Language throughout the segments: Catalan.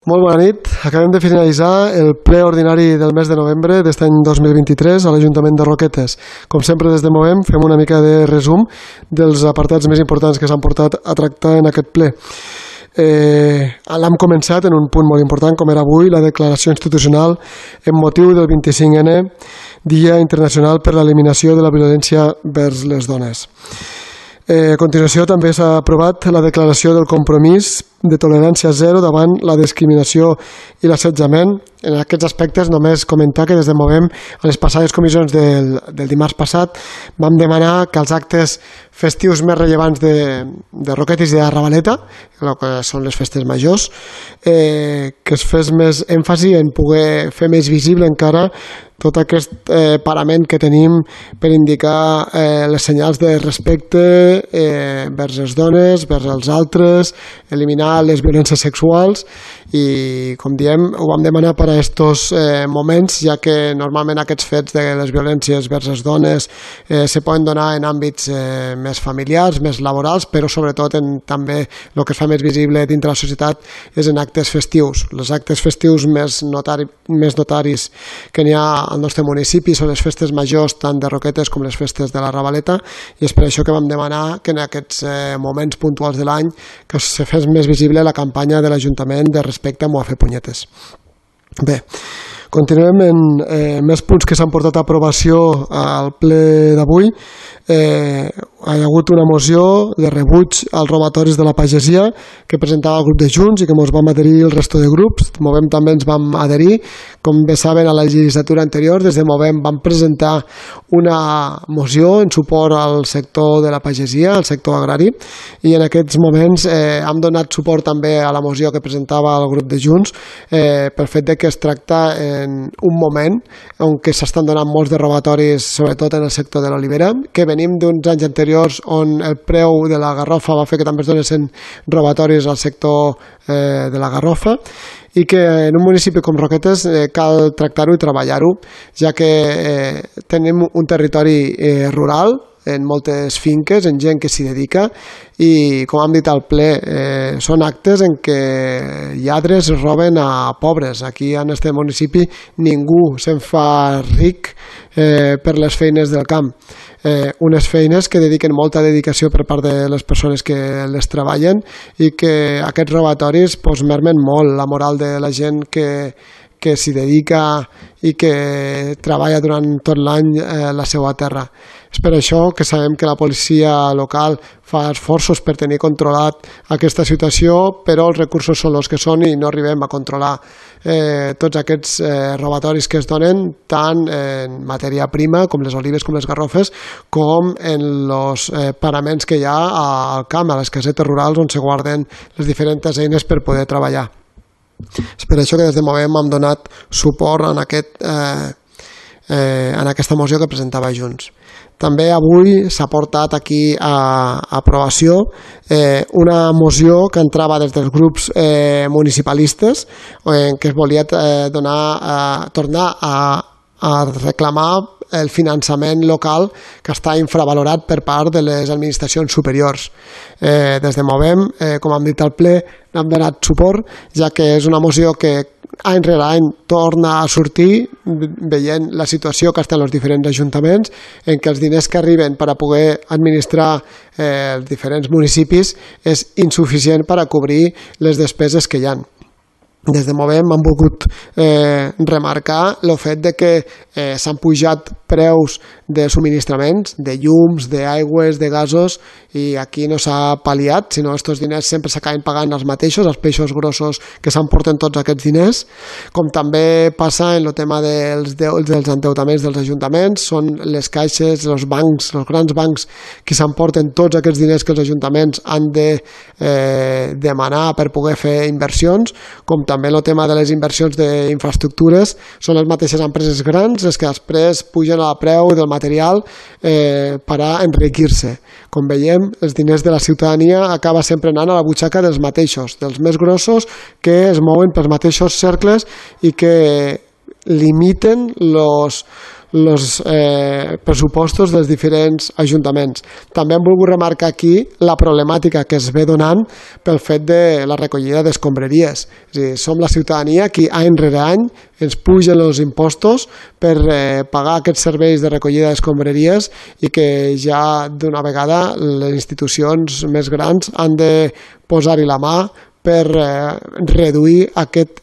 Molt bona nit. Acabem de finalitzar el ple ordinari del mes de novembre d'aquest any 2023 a l'Ajuntament de Roquetes. Com sempre, des de Movem, fem una mica de resum dels apartats més importants que s'han portat a tractar en aquest ple. L'hem començat en un punt molt important, com era avui, la declaració institucional en motiu del 25N, Dia Internacional per l'Eliminació de la Violència vers les Dones. A continuació també s'ha aprovat la declaració del compromís de tolerància zero davant la discriminació i l'assetjament. En aquests aspectes només comentar que des de Movem a les passades comissions del dimarts passat vam demanar que els actes festius més rellevants de Roquetes i de Ravaleta, el que són les festes majors, que es fes més èmfasi en poder fer més visible encara tot aquest parament que tenim per indicar les senyals de respecte vers les dones, vers els altres, eliminar les violències sexuals i, com diem, ho vam demanar per a aquests moments, ja que normalment aquests fets de les violències vers les dones se poden donar en àmbits més familiars, més laborals, però sobretot també el que es fa més visible dintre la societat és en actes festius. Els actes festius més notaris que n'hi ha al nostre municipi són les festes majors tant de Roquetes com les festes de la Ravaleta, i és per això que vam demanar que en aquests moments puntuals de l'any que se fes més visible la campanya de l'Ajuntament de respecte a fer punyetes. Bé, continuem en més punts que s'han portat a aprovació al ple d'avui. Hi ha hagut una moció de rebuig als robatoris de la pagesia que presentava el grup de Junts i que ens vam adherir el resto de grups. Movem també ens vam adherir. Com bé saben, a la legislatura anterior des de Movem vam presentar una moció en suport al sector de la pagesia, al sector agrari, i en aquests moments hem donat suport també a la moció que presentava el grup de Junts pel fet que es tracta en un moment on s'estan donant molts de robatoris, sobretot en el sector de l'olivera, que venim d'uns anys anteriors on el preu de la garrofa va fer que també es donessin robatoris al sector de la garrofa, i que en un municipi com Roquetes cal tractar-ho i treballar-ho, ja que tenim un territori rural, en moltes finques, en gent que s'hi dedica, i com hem dit al ple, són actes en què lladres roben a pobres. Aquí en este municipi ningú se'n fa ric per les feines del camp. Unes feines que dediquen molta dedicació per part de les persones que les treballen i que aquests robatoris mermen molt la moral de la gent que s'hi dedica i que treballa durant tot l'any la seva terra. És per això que sabem que la policia local fa esforços per tenir controlat aquesta situació, però els recursos són els que són i no arribem a controlar tots aquests robatoris que es donen tant en matèria prima, com les olives, com les garrofes, com en els paraments que hi ha al camp, a les casetes rurals on se guarden les diferents eines per poder treballar. És per això que des de Movem hem donat suport en aquesta moció que presentava Junts. També avui s'ha portat aquí a aprovació una moció que entrava des dels grups municipalistes en què es volia tornar a reclamar el finançament local que està infravalorat per part de les administracions superiors. Des de Movem, com hem dit al ple, n'hem donat suport, ja que és una moció que any rere any torna a sortir veient la situació que estan els diferents ajuntaments, en què els diners que arriben per a poder administrar els diferents municipis és insuficient per a cobrir les despeses que hi ha. Des de Movem hem volgut remarcar el fet que s'han pujat preus de subministraments, de llums, d'aigües, de gasos, i aquí no s'ha pal·liat, sinó que aquests diners sempre s'acaben pagant els mateixos, els peixos grossos que s'emporten tots aquests diners. Com també passa en el tema dels endeutaments dels ajuntaments, són les caixes, els bancs, els grans bancs que s'emporten tots aquests diners que els ajuntaments han de demanar per poder fer inversions, com també el tema de les inversions d'infraestructures, són les mateixes empreses grans les que després pugen el preu del material per a enriquir-se. Com veiem, els diners de la ciutadania acaba sempre anant a la butxaca dels mateixos, dels més grossos, que es mouen pels mateixos cercles i que limiten els pressupostos dels diferents ajuntaments. També hem volgut remarcar aquí la problemàtica que es ve donant pel fet de la recollida d'escombraries. És a dir, som la ciutadania qui any rere any ens pugen els impostos per pagar aquests serveis de recollida d'escombraries i que ja d'una vegada les institucions més grans han de posar-hi la mà per reduir aquest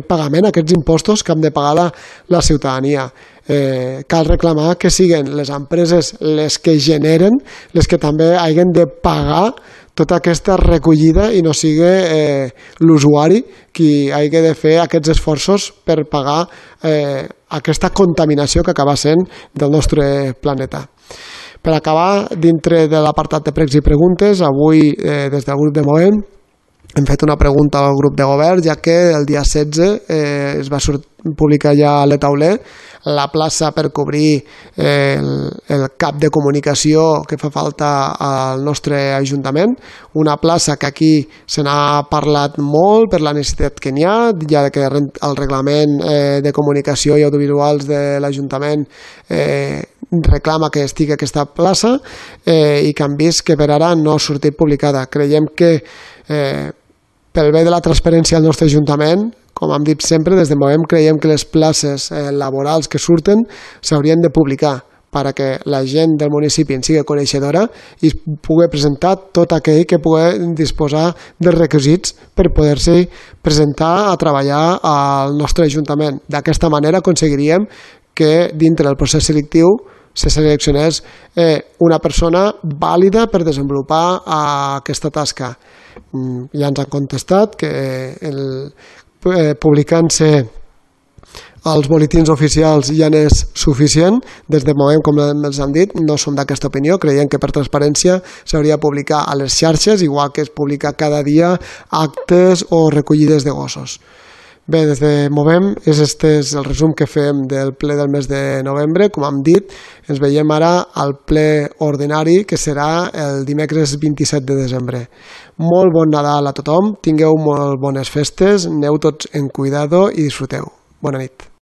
pagament, aquests impostos que hem de pagar la ciutadania. Cal reclamar que siguin les empreses les que generen, les que també hagin de pagar tota aquesta recollida i no sigui l'usuari qui hagi de fer aquests esforços per pagar aquesta contaminació que acaba sent del nostre planeta. Per acabar, dintre de l'apartat de pregs i preguntes, avui des del grup de Movem hem fet una pregunta al grup de govern, ja que el dia 16 es va publicar ja a l'Etauler la plaça per cobrir el cap de comunicació que fa falta al nostre Ajuntament, una plaça que aquí se n'ha parlat molt per la necessitat que n'hi ha, ja que el reglament de comunicació i audiovisuals de l'Ajuntament reclama que estigui aquesta plaça i que han vist que per ara no ha sortit publicada. Creiem que pel bé de la transparència del nostre Ajuntament, com hem dit sempre, des de Movem creiem que les places laborals que surten s'haurien de publicar perquè la gent del municipi en sigui coneixedora i pugui presentar tot aquell que pugui disposar dels requisits per poder-se presentar a treballar al nostre Ajuntament. D'aquesta manera aconseguiríem que dintre del procés selectiu se seleccionés una persona vàlida per desenvolupar aquesta tasca. Ja ens han contestat que publicant-se als boletins oficials ja n'és suficient. Des de Movem, com els han dit, no som d'aquesta opinió. Creiem que per transparència s'hauria de publicar a les xarxes, igual que es publica cada dia actes o recollides de gossos. Bé, des de Movem, este és el resum que fem del ple del mes de novembre. Com hem dit, ens veiem ara al ple ordinari, que serà el dimecres 27 de desembre. Molt bon Nadal a tothom, tingueu molt bones festes, aneu tots en cuidado i disfruteu. Bona nit.